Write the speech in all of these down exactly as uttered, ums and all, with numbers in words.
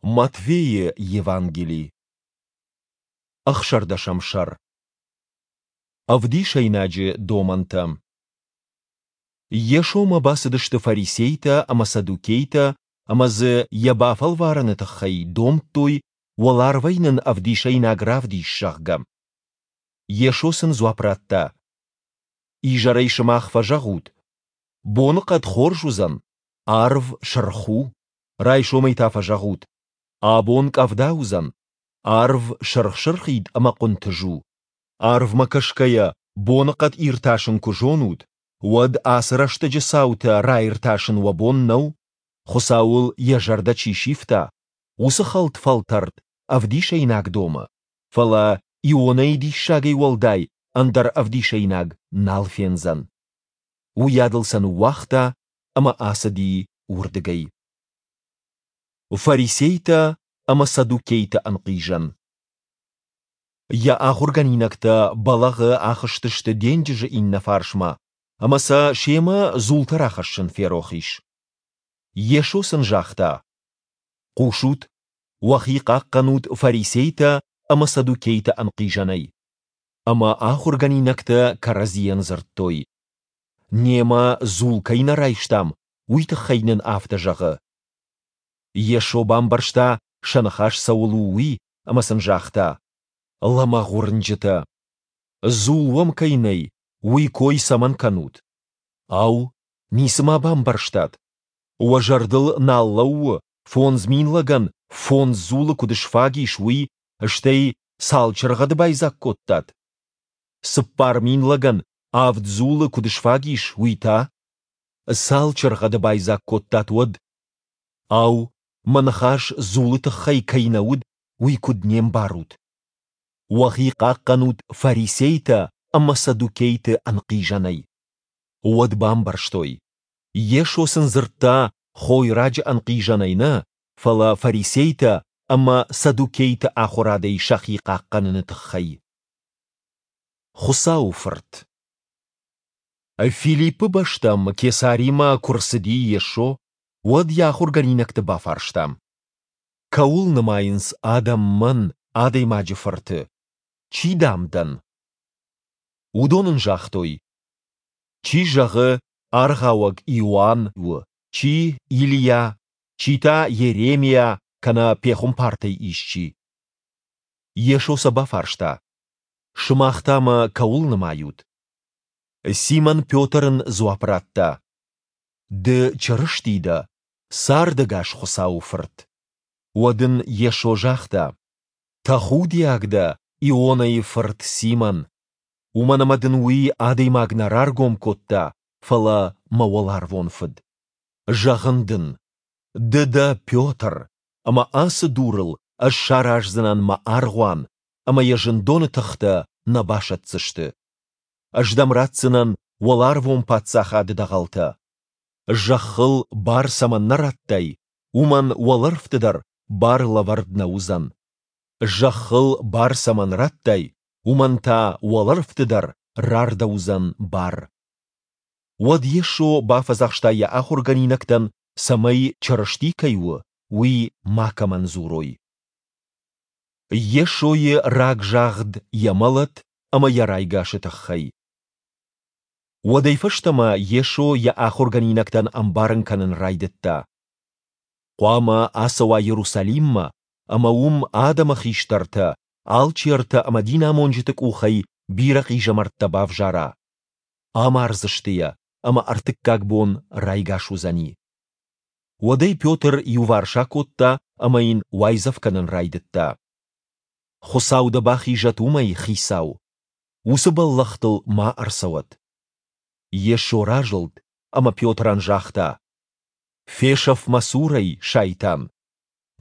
Матфейы Евангели, ӕхсӕрдӕсӕм сӕр. Ӕвдисӕйнаджы домӕнтӕ. Йесомӕ бацыдысты фарисейтӕ ӕмӕ саддукейтӕ ӕмӕ дзы йӕ бафӕлварыны тыххӕй домдтой, уӕларвӕй нын ӕвдисӕйнаг равдис, зӕгъгӕ. Йесо сын дзуапп радта: Изӕрӕй сымах фӕзӕгъут, боныхъӕд хорз уыдзӕн, арв сырх у. Райсомӕй та фӕзӕгъут, абон къӕвда уыдзӕн, арв сырх-сырхид ӕмӕ хъуынтъыз у. Арвмӕ кӕсгӕйӕ боныхъӕд иртасын куы зонут, уӕд ацы рӕстӕджы цаутӕ раиртасын уӕ бон нӕу? Хуыцауыл йӕ зӕрдӕ чи сивта, уыцы хӕлд фӕлтӕрд ӕвдисӕйнаг домы, фӕлӕ Ионӕйы диссагӕй уӕлдай ӕндӕр ӕвдисӕйнаг нал фендзӕн. Уыйадыл сӕ ныууагъта ӕмӕ ацыди уырдыгӕй. Фарисейтӕ ӕмӕ саддукейты ӕнхъизӕн. Йӕ ахуыргӕнинӕгтӕ бӕлӕгъы ахызтысты денджызы иннӕ фарсмӕ, ӕмӕ сӕ семӕ дзултӕ рахӕссын ферох ис. Йесо сын загъта: Хъусут, уӕхи хъахъхъӕнут фарисейтӕ ӕмӕ саддукейты ӕнхъизӕнӕй. Ӕмӕ ахуыргӕнинӕгтӕ кӕрӕдзийӕн дзырдтой: Немӕ дзул кӕй нӕ райстам, уый тыххӕй нын афтӕ зӕгъы. Йесо бамбӕрста, сӕ ныхас цӕуыл у, уый, ӕмӕ сын загъта: Лӕмӕгъ уырнджытӕ! Дзул уӕм кӕй нӕй, уый кой цӕмӕн кӕнут? Ау, ницы ма бамбӕрстат? Уӕ зӕрдыл нал лӕууы, фондз мин лӕгӕн фондз дзулы куыд сфаг ис, уый, стӕй цал чыргъӕды байдзаг кодтат? Цыппар мин лӕгӕн авд дзулы куыд сфаг ис, уый та? Цал чыргъӕды байдзаг кодтат уӕд? Ау, мӕ ныхас дзулы тыххӕй кӕй нӕ уыд, уый куыд не мбарут? Уӕхи хъахъхъӕнут фарисейтӕ ӕмӕ саддукейты ӕнхъизӕнӕй. Уӕд бамбӕрстой, Йесо сын дзырдта хойраджы ӕнхъизӕнӕй нӕ, фӕлӕ фарисейтӕ ӕмӕ саддукейты ахуырадӕй сӕхи хъахъхъӕныны тыххӕй. Хуыцауы Фырт. Филиппы бӕстӕм Кесаримӕ куы рцыди Йесо, уӕд йӕ ахуыргӕнинӕгты бафарста: Кӕуыл нымайынц адӕм Мӕн, Адӕймаджы Фырты? Чи, дам, дӕн? Уыдон ын загътой: Чи зӕгъы, Аргъауӕг Иоанн у, чи Илийа, чи та Йеремиа кӕнӕ пехуымпартӕй исчи. Йесо сӕ бафарста: Сымах та мӕ кӕуыл нымайут? Симон Петр ын дзуапп радта: Ды Чырысти дӕ, цардӕгас Хуыцауы Фырт. Уӕд ын Йесо загъта: Тӕхудиаг дӕ, Ионӕйы фырт Симон, уымӕн ӕмӕ дын уый адӕймаг нӕ раргом кодта, фӕлӕ мӕ уӕларвон Фыд. Зӕгъын дын, ды дӕ Петр, ӕмӕ ацы дурыл ӕз сараздзынӕн мӕ аргъуан, ӕмӕ йӕ зындоны тыхтӕ нӕ басӕтдзысты. Ӕз дӕм ратдзынӕн уӕларвон паддзахады дӕгъӕлтӕ. Зӕххыл бар цӕмӕн нӕ радтай, уымӕн уӕлӕрвты дӕр бар лӕвӕрд нӕ уыдзӕн. Зӕххыл бар цӕмӕн радтай, уымӕн та уӕлӕрвты дӕр рардӕуыдзӕн бар. Уӕд Йесо бафӕдзӕхста йӕ ахуыргӕнинӕгтӕн, цӕмӕй Чырысти кӕй у, уый макӕмӕн дзурой. Йесойы рагзагъд йӕ мӕлӕт ӕмӕ йӕ райгасы тыххӕй. Уӕдӕй фӕстӕмӕ Йесо йӕ ахуыргӕнинӕгтӕн ӕмбарын кӕнын райдыдта: Хъуамӕ ацӕуа Иерусалиммӕ ӕмӕ уым адӕмы хистӕртӕ, алчертӕ ӕмӕ динамонджыты къухӕй бирӕ хъизӕмӕрттӕ бавзара. Амардзысты йӕ, ӕмӕ ӕртыккаг бон райгас уыдзӕни. Уӕд ӕй Петр иуварс акодта ӕмӕ йын уайдзӕф кӕнын райдыдта: Хуыцау дӕ бахизӕд уымӕй, Хицау! Уыцы бӕллӕх дыл ма ӕрцӕуӕд. Йесо разылд ӕмӕ Петрӕн загъта: Фесӕф мӕ цурӕй, сайтан!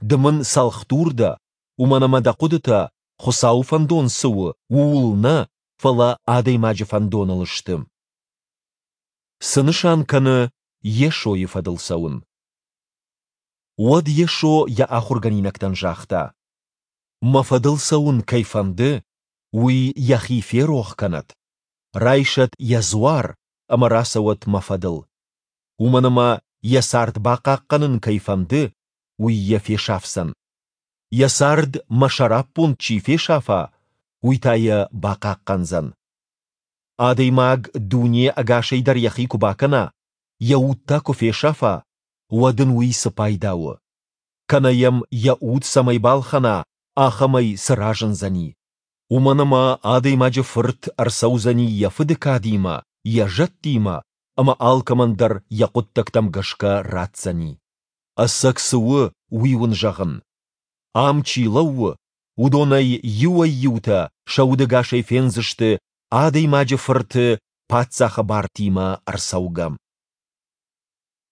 Ды мын цӕлхдур дӕ, уымӕн ӕмӕ дӕ хъуыдытӕ, Хуыцауы фӕндон цы у, ууыл нӕ, фӕлӕ адӕймаджы фӕндоныл сты. Цы нысан кӕны Йесойы фӕдыл цӕуын? Уӕд Йесо йӕ ахуыргӕнинӕгтӕн загъта: Мӕ фӕдыл цӕуын кӕй фӕнды, уый йӕхи ферох кӕнӕд, райсӕд йӕ дзуар ӕмӕ рацӕуӕд мӕ фӕдыл. Уымӕн ӕмӕ йӕ цард бахъахъхъӕнын кӕй фӕнды, уый йӕ фесафдзӕн. Йӕ цард Мӕ сӕраппонд чи фесафа, уый та йӕ бахъахъхъӕндзӕн. Адӕймаг дуне ӕгасӕй дӕр йӕхи куы бакӕна, йӕ уд та куы фесафа, уӕд ын уый цы пайда у? Кӕнӕ йӕм йӕ уд цӕмӕй балхӕна, ахӕмӕй цы разындзӕни? Уымӕн ӕмӕ Адӕймаджы Фырт ӕрцӕудзӕни Йӕ Фыды кадимӕ, Йӕ зӕдтимӕ, ӕмӕ алкӕмӕн дӕр йӕ хъуыддӕгтӕм гӕсгӕ ратдзӕни. Ӕцӕг цы у, уый уын зӕгъын: ам чи лӕууы, уыдонӕй иуӕй-иутӕ сӕ удӕгасӕй фендзысты Адӕймаджы Фырты Паддзахы бартимӕ ӕрцӕугӕ.